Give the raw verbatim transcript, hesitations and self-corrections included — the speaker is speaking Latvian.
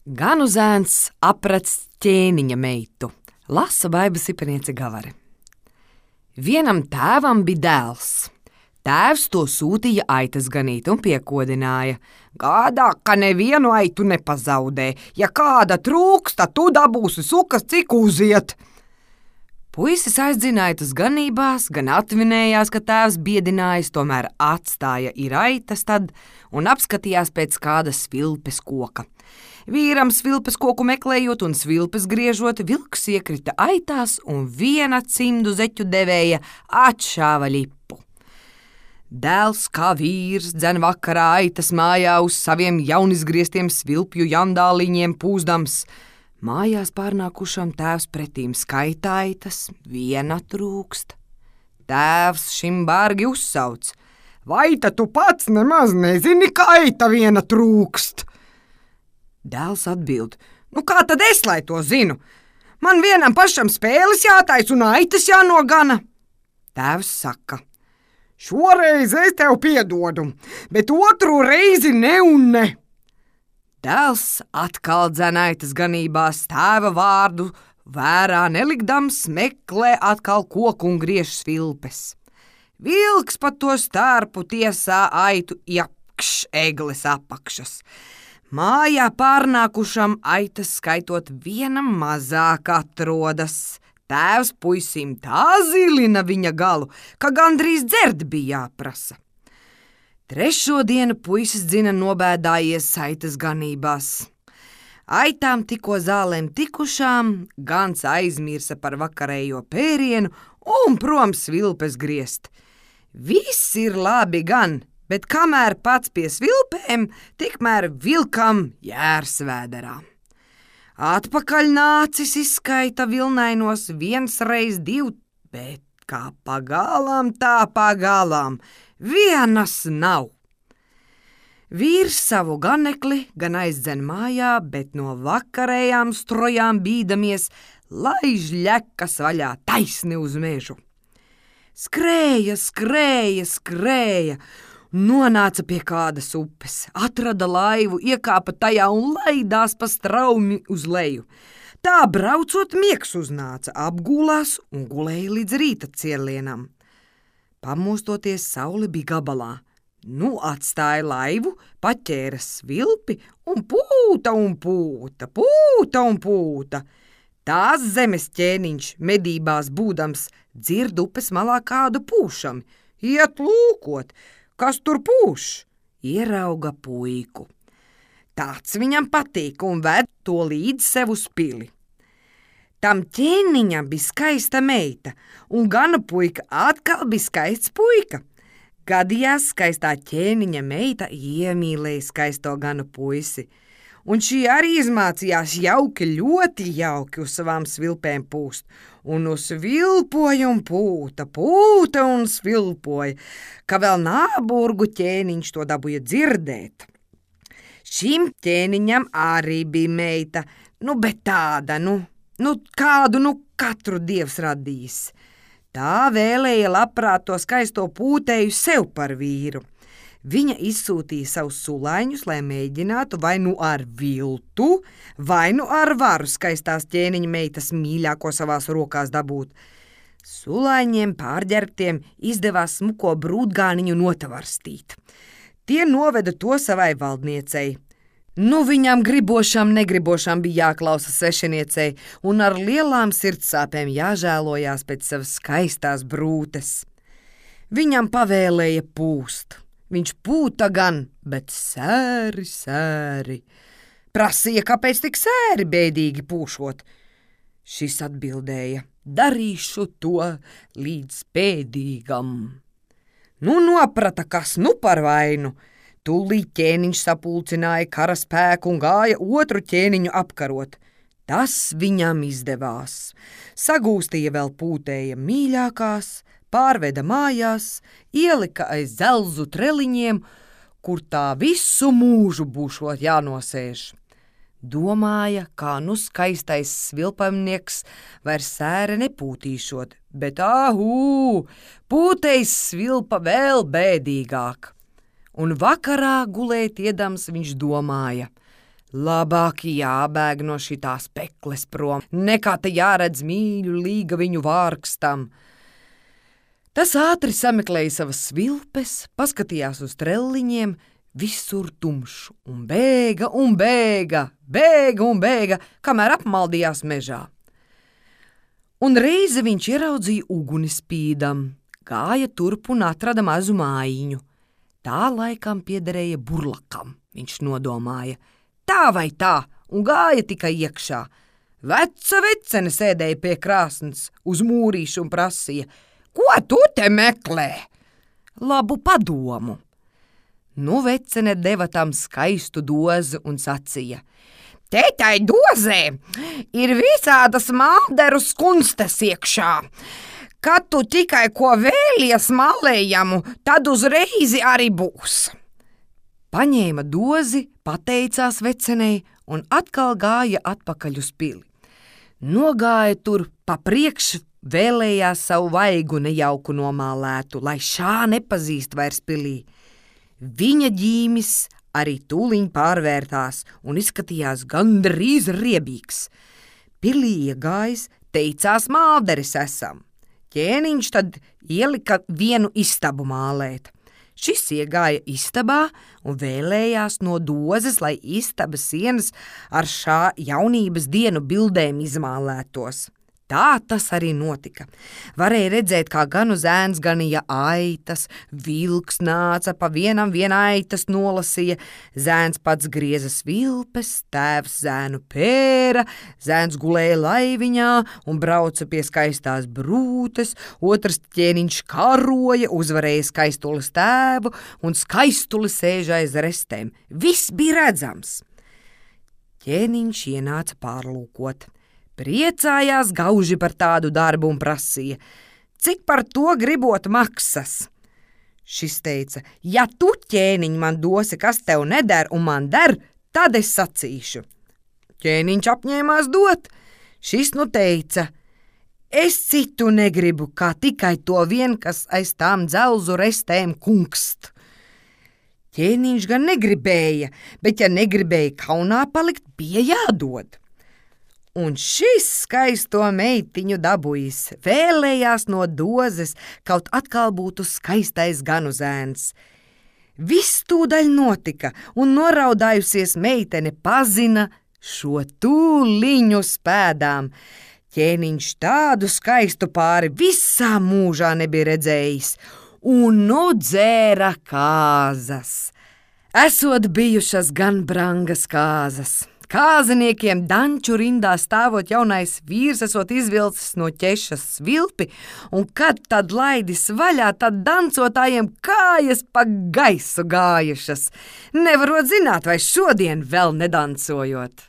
Ganuzēns aprec ķēniņa meitu, lasa Baiba Sipeniece Gavare. Vienam tēvam bija dēls. Tēvs to sūtīja aitas ganīt un piekodināja. Gādā, ka nevienu aitu nepazaudē. Ja kāda trūks, tad tu dabūsi sukas, cik uziet. Puisis aizdzina aitas ganībās, gan atvinējās, ka tēvs biedinājis, tomēr atstāja ir aitas tad un apskatījās pēc kāda svilpes koka. Vīram svilpes koku meklējot un svilpes griežot, vilks iekrita aitās un viena cimdu zeķu devēja atšāva lipu. Dēls kā vīrs dzen vakarā aitas mājā uz saviem jaunizgrieztiem svilpju jandāliņiem pūzdams. Mājās pārnākušam tēvs pretīm skaita aitas, viena trūkst. Tēvs šim bārgi uzsauc. Vai ta tu pats nemaz nezini, ka aita viena trūkst? Dēls atbild, nu kā tad es, lai to zinu? Man vienam pašam spēles jātais un aitas jānogana. Tēvs saka, šoreiz es tev piedodu, bet otru reizi ne un ne. Dēls atkal dzen aitas ganībās, tēva vārdu vērā nelikdams, meklē atkal koku un griež svilpes. Vilks pa to stārpu tiesā aitu iapkš egles apakšas. Mājā pārnākušam aitas skaitot vienam mazāk atrodas. Tēvs puisim tā zilina viņa galu, ka gandrīz dzert bija jāprasa. Trešo dienu puisis dzina nobēdājies aitas ganībās. Aitām tikko zālēm tikušām, gans aizmirsa par vakarējo pērienu un prom svilpes griezt. Viss ir labi gan, bet kamēr pats pie svilpēm, tikmēr vilkam jērs vēderā. Atpakaļ nācis izskaita vilnainos viens reiz divu, bet kā pagalām, tā pagalām, vienas nav. Vīrs savu ganekli gan aizdzen mājā, bet no vakarējām strojām bīdamies, laiž ļekas vaļā taisni uz mežu. Skrēja, skrēja, skrēja, nonāca pie kādas upes, atrada laivu, iekāpa tajā un laidās pa straumi uz leju. Tā braucot miegs uznāca, apgulās un gulēja līdz rīta cielienam. Pamostoties saule bija gabalā. Nu atstāja laivu, paķēra svilpi un pūta un pūta, pūta un pūta. Tās zemes ķēniņš medībās būdams dzird upes malā kādu pūšami. Iet lūkot, kas tur pūš? Ierauga puiku. Tāds viņam patīk un ved to līdz sev uz pili. Tam ķēniņam bija skaista meita, un gana puika atkal bija skaists puika. Gadījās skaistā ķēniņa meita iemīlēja skaisto gana puisi, un šī arī izmācījās jauki, ļoti jauki uz savām svilpēm pūst, un uzsvilpoja un pūta, pūta un svilpoja, ka vēl nāburgu ķēniņš to dabūja dzirdēt. Šim ķēniņam arī bija meita, nu, bet tāda, nu, nu kādu, nu, katru dievs radījis. Tā vēlēja labprāt to skaisto pūtēju sev par vīru. Viņa izsūtīja savus sulaiņus, lai mēģinātu vai nu ar viltu, vai nu ar varu skaistās ķēniņa meitas mīļāko savās rokās dabūt. Sulaiņiem pārģērbtiem izdevās smuko brūtgāniņu notavarstīt. Tie noveda to savai valdniecei. Nu viņam gribošam, negribošam bija jāklausa svešiniecei un ar lielām sirdsāpēm jāžēlojās pēc savas skaistās brūtes. Viņam pavēlēja pūst. Viņš pūta gan, bet sēri, sēri. Prasīja, kāpēc tik sēri bēdīgi pūšot. Šis atbildēja, darīšu to līdz pēdīgam. Nu noprata, kas nu par vainu. Tūlīt ķēniņš sapulcināja karaspēku un gāja otru ķēniņu apkarot. Tas viņam izdevās. Sagūstīja vēl pūtēja mīļākās, pārveda mājās, ielika aiz zelzu treliņiem, kur tā visu mūžu būšot jānosēž. Domāja, kā nu skaistais svilpamnieks vairs sēre nepūtīšot, bet āhū, pūtējs svilpa vēl bēdīgāk. Un vakarā gulēt iedams viņš domāja, Labāk jābēg no šitās pekles prom, nekā te jāredz mīļu līga viņu vārkstam. Tas ātri sameklēja savas svilpes, paskatījās uz trelliņiem, visur tumšs, un bēga un bēga, bēga un bēga, kamēr apmaldījās mežā. Un reizi viņš ieraudzīja uguni spīdam, gāja turp un atrada mazu mājiņu. Tā laikam piederēja burlakam, viņš nodomāja. Tā vai tā, un gāja tikai iekšā. Veca vecene sēdēja pie krāsnes uz mūrīšu un prasīja: ko tu te meklē? Labu padomu. Nu vecene deva tam skaistu dozi un sacīja: te tai dozē ir visādas malderu skunstes iekšā. Kad tu tikai ko vēlies malējamu, tad uzreizi arī būs. Paņēma dozi, pateicās vecenei un atkal gāja atpakaļ uz pili. Nogāja tur pa priekšu, vēlējās savu vaigu nejauku nomālētu, lai šā nepazīst vairs pilī. Viņa ģīmis arī tūliņ pārvērtās un izskatījās gandrīz riebīgs. Pilī iegājis, teicās malderis esam. Ķēniņš tad ielika vienu istabu mālēt. Šis iegāja istabā un vēlējās no dozes, lai istabas sienas ar šā jaunības dienu bildēm izmālētos. Tā tas arī notika. Varēja redzēt, kā gan uz ēns ganīja aitas, vilks nāca pa vienam viena aitas nolasīja, zēns pats grieza svilpes, tēvs zēnu pēra, zēns gulēja laiviņā un brauca pie skaistās brūtes, otrs ķēniņš karoja, uzvarēja skaistules tēvu un skaistuli sēža aiz restēm. Viss bija redzams. Ķēniņš ienāca pārlūkot. Priecājās gauži par tādu darbu un prasīja: cik par to gribot maksas? Šis teica: ja tu, ķēniņ, man dosi, kas tev neder un man der, tad es sacīšu. Ķēniņš apņēmās dot. Šis nu teica: es citu negribu, kā tikai to vien, kas aiz tām dzelzu restēm kungst. Ķēniņš gan negribēja, bet ja negribēja kaunā palikt, bija jādod. Un šis skaisto meitiņu dabujis, vēlējās no dozes, kaut atkal būtu skaistais ganu zēns. Viss tūdaļ notika, un noraudājusies meitene pazina šo tūliņu spēdām. Ķēniņš tādu skaistu pāri visā mūžā nebija redzējis, un nu dzēra kāzas. Esot bijušas gan brangas kāzas. Kāzeniekiem danču rindā stāvot jaunais vīrs esot izvilcis no ķešas svilpi, un kad tad laidis vaļā, tad dancotājiem kājas pa gaisu gājušas. Nevarot zināt, vai šodien vēl nedancojot.